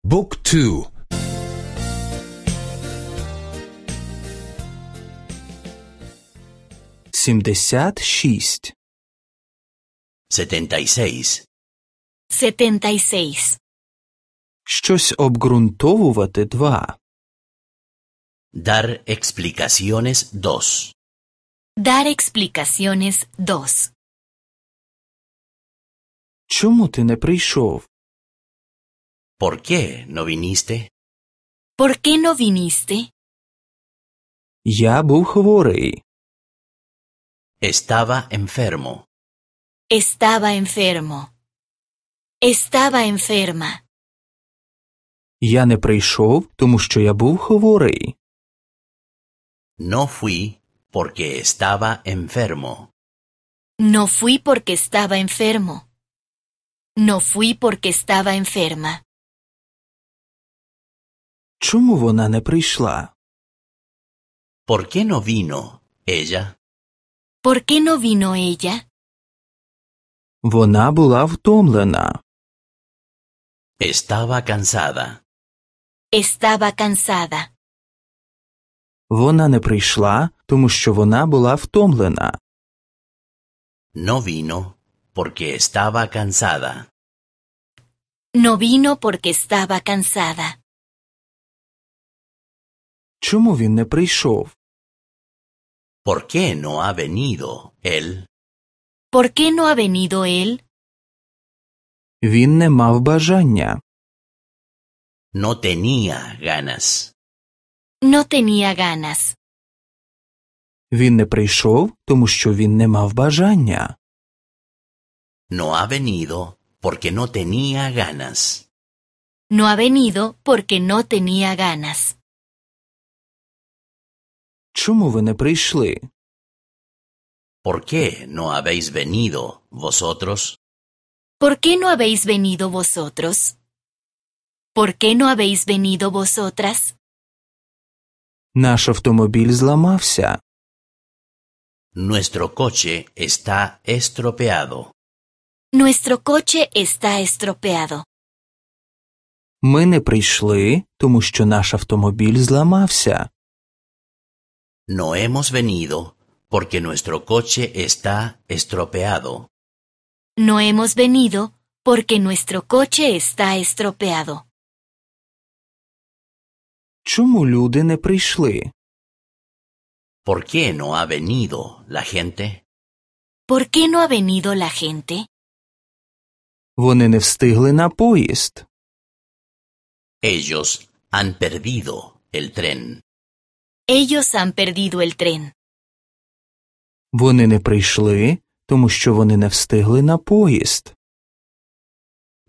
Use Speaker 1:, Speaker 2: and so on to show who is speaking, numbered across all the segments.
Speaker 1: Book 2.
Speaker 2: 76.
Speaker 3: 76.
Speaker 4: 76.
Speaker 2: Щось обґрунтовувати 2.
Speaker 3: Dar explicaciones 2.
Speaker 4: Dar explicaciones 2.
Speaker 2: Чому ти не прийшов?
Speaker 3: ¿Por qué no viniste?
Speaker 4: ¿Por qué no viniste?
Speaker 2: Я був хворий.
Speaker 3: Estaba enfermo.
Speaker 4: Estaba enfermo. Estaba enferma.
Speaker 2: Я не прийшов, тому що я був хворий.
Speaker 3: No fui porque estaba enfermo.
Speaker 4: No fui porque estaba enfermo. No fui porque estaba enferma.
Speaker 2: Чому вона не прийшла?
Speaker 3: ¿Por qué no vino ella?
Speaker 4: ¿Por qué no vino ella?
Speaker 2: Вона була втомлена.
Speaker 3: Estaba cansada.
Speaker 4: Estaba cansada.
Speaker 2: Вона не прийшла, тому що вона була втомлена.
Speaker 3: No vino porque estaba cansada.
Speaker 4: No vino porque estaba cansada.
Speaker 2: Чому він не прийшов?
Speaker 3: ¿Por qué no ha venido él?
Speaker 4: ¿Por qué no ha venido él?
Speaker 2: Він не мав бажання.
Speaker 3: No tenía ganas.
Speaker 4: No tenía ganas.
Speaker 2: Він не прийшов, тому що він не мав бажання.
Speaker 3: No ha venido porque no tenía ganas.
Speaker 4: No ha venido porque no tenía ganas.
Speaker 2: Чому ви не прийшли?
Speaker 3: ¿Por qué no habéis venido vosotros?
Speaker 4: ¿Por qué no habéis venido vosotros? ¿Por qué no habéis venido vosotras?
Speaker 2: Наш автомобіль зламався.
Speaker 3: Nuestro coche está estropeado.
Speaker 4: Nuestro coche está estropeado.
Speaker 2: Ми не прийшли, тому що наш автомобіль зламався.
Speaker 3: No hemos venido porque nuestro coche está estropeado.
Speaker 4: No hemos venido porque nuestro coche está estropeado.
Speaker 2: Чому люди не прийшли?
Speaker 3: ¿Por qué no ha venido la gente?
Speaker 4: ¿Por qué no ha venido la gente?
Speaker 2: Вони не встигли на поїзд.
Speaker 3: Ellos han perdido el tren.
Speaker 4: Ellos han perdido el tren.
Speaker 2: Вони не прийшли, тому що вони не встигли на поїзд.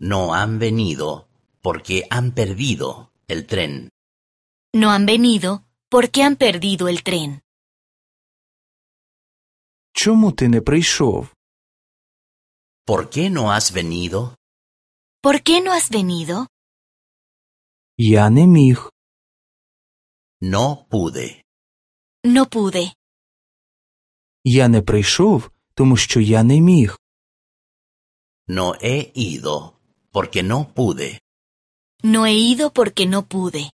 Speaker 3: No han venido porque han perdido el tren.
Speaker 4: No han venido porque han perdido el tren.
Speaker 2: Чому ти не прийшов?
Speaker 3: ¿Por qué no has venido?
Speaker 4: ¿Por qué no has venido?
Speaker 2: Я не міг.
Speaker 3: No pude.
Speaker 4: No pude.
Speaker 2: Я не прийшов, тому що я не міг.
Speaker 3: No he ido porque no pude.
Speaker 4: No he ido porque no pude.